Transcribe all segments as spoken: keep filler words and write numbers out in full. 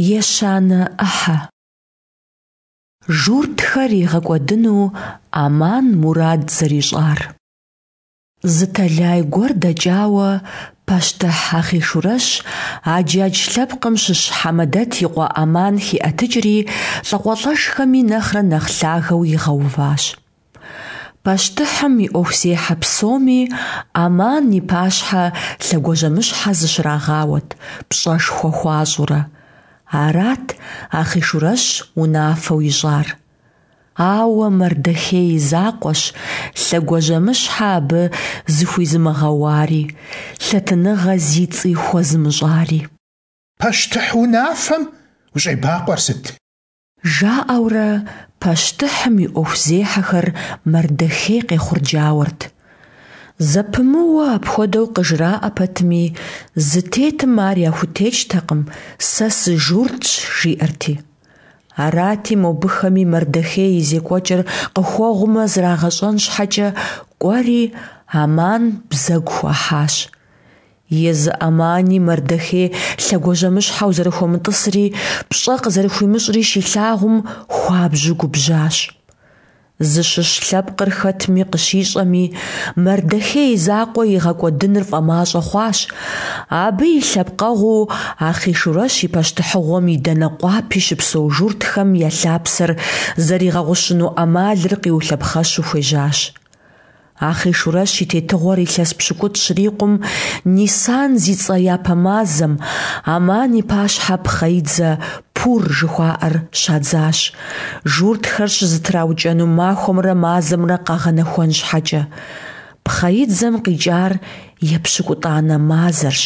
Ещанэ ӏыхьэ. Журтхэр игъэкӏуэдыну Аман мурад зэрищӏар. Зы тэлай гуэр дэкӏауэ, пащтыхь Ахъийшурэщ аджадж лъэпкъым щыщ Хьэмэдэт и къуэ Аман хиӏэтыкӏри, лӏакъуэлӏэшхэми нэхърэ нэхъ лъагэу игъэуващ. Пащтыхьым и ӏуэхузехьэ псоми Аман и пащхьэ лъэгуажьэмыщхьэ зыщрагъауэт, пщӏэшхуэ хуащӏурэ. Арат Ахъийшурэщ унафэу ищӏар. Ауэ Мардэхей и закъуэщ лъэгуажьэмыщхьэ абы зыхуизымыгъэуари, лъэтыныгъэ зи цӏи хуэзымыщӏари. Пащтыхь унафэм ущӏебакъуэр сыт? Жаӏэурэ пащтыхьым и ӏуэхузехьэхэр Мардэхей къехъурджауэрт. Зэпымыууэ апхуэдэу къыжраӏэ пэтми, зытетым ар яхутекӏтэкъым, сэ сыжуртщ, жиӏэрти. Арати, мобыхэми Мардэхей и зекӏуэкӏэр къыхуэгъумэ зрагъэщӏэн щхьэкӏэ, кӏуэри, Аман бзэгу хуахьащ. Езы Амани Мардэхей лъэгуажьэмыщхьэу зэрыхуэмытӏысри, пщӏэ къызэрыхуимыщӏри щилъагъум, хуабжьу губжьащ. Зыщыщ лъэпкъыр хэтми къыщищӏэми, Мардэхей и закъуэ игъэкӏуэдыныр фӏэмащӏэ хъуащ, абы и лъэпкъэгъуу Ахъийшурэщ и пащтыхьыгъуэм и дэнэ къуапи щыпсэу журтхэм я лъапсэр зэригъэгъущыну ӏэмалыр къиулъэпхъэщу хуежьащ. Ахъийшурэщ и тетыгъуэр илъэс пщыкӏутӏ щрикъум, Нисан зи цӏэ япэ мазэм, Аман и пащхьэ пхъэидзэ Пур жыхуаӏэр щадзащ, журтхэр щызэтраукӏэну махуэмрэ мазэмрэ къагъэнэхуэн щхьэкӏэ. Пхъэидзэм къикӏар епщыкӏутӏанэ мазэрщ,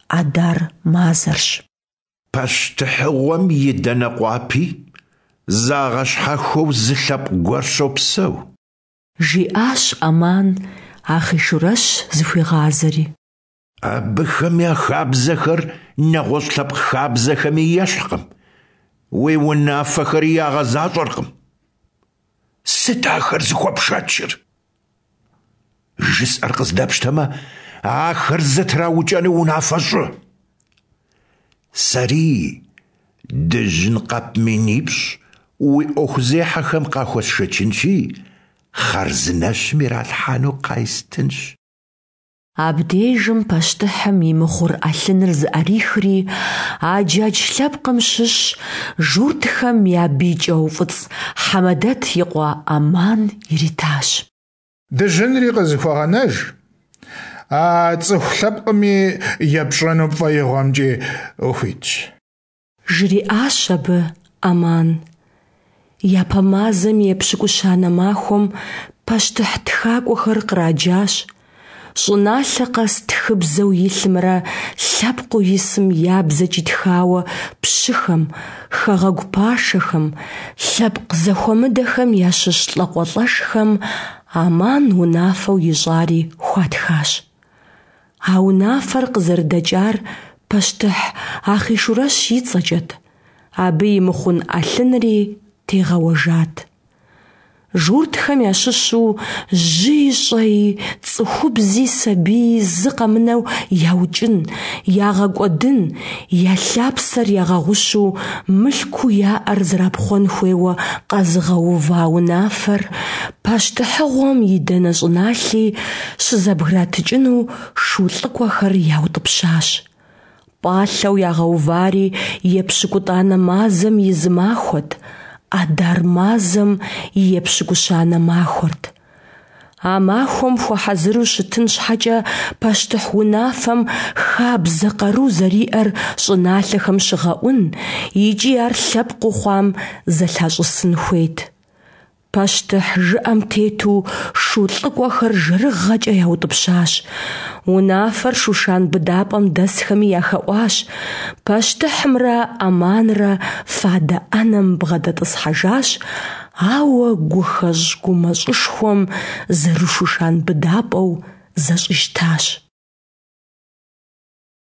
Адар мазэрщ. Пащтыхьыгъуэм и дэнэ къуапи загъэщхьэхуэу зы лъэпкъ гуэр щопсэу. Жиӏащ Аман, Ахъийшурэщ зыхуигъазэри. Абыхэм я хабзэхэр нэгъуэщӏ лъэпкъ хабзэхэми ещхькъым, уи унафэхэри ягъэзащӏэркъым. Сыт ахэр зыхуэпшэчыр? Жысӏэр къыздэпщтэмэ, ахэр зэтраукӏэну унафэ щӏы. Сэри дыжьын къэп минипщӏ уи ӏуэхузехьэхэм къахуэсшэчынщи, хъарзынэщым иралъхьэну къайстынщ. Абдежым пащтыхьым и мыхъур ӏэлъыныр зыӏэрихри, аджадж лъэпкъым щыщ, журтхэм я бий кӏэуфӏыцӏ Хьэмэдэт и къуэ Аман иритащ. Дыжьынри къызыхуэгъэнэж, а цӏыху лъэпкъми епщӏэну пфӏэигъуэмкӏи ухуитщ. Жриӏащ абы Аман. Япэ мазэм и епщыкӏущанэ махуэм пащтыхь тхакӏуэхэр къраджащ, щӏыналъэ къэс тхыбзэу илъымрэ лъэпкъыу исым я бзэкӏи тхауэ пщыхэм, хэгъэгу пашэхэм, лъэпкъ зэхуэмыдэхэм ящыщ лӏакъуэлӏэшхэм Аман унафэу ищӏари хуатхащ. А унафэр къызэрыдэкӏар пащтыхь Ахъийшурэщ и цӏэкӏэт, абы и мыхъун ӏэлъынри тегъэуэжат. Журтхэм ящыщу жьыи щӏэи, цӏыхубзи сабии зы къэмынэу яукӏын, ягъэкӏуэдын, я лъапсэр ягъэгъущу мылъкуу яӏэр зэрапхъуэн хуейуэ къэзыгъэува унафэр пащтыхьыгъуэм и дэнэ щӏыналъи щызэбгратыкӏыну шу лӏыкӏуэхэр яутӏыпщащ. Пӏалъэу ягъэувари епщыкӏутӏанэ мазэм и зы махуэт, Адар мазэм и епщыкӏущанэ махуэрт. А махуэм хуэхьэзыру щытын щхьэкӏэ пащтыхь унафэм хабзэ къару зэриӏэр щӏыналъэхэм щыгъэӏун икӏи ар лъэпкъыу хъуам зэлъащӏысын хуейт. Пащтыхь жыӏэм тету шу лӏыкӏуэхэр жэрыгъэкӏэ яутӏыпщащ. Унафэр Шушан быдапӏэм дэсхэми яхэӏуащ. Пащтыхьымрэ Аманрэ фадэ ӏэнэм бгъэдэтӏысхьэжащ, ауэ гухэщӏ-гумэщӏышхуэм зэры-Шушан быдапӏэу зэщӏищтащ.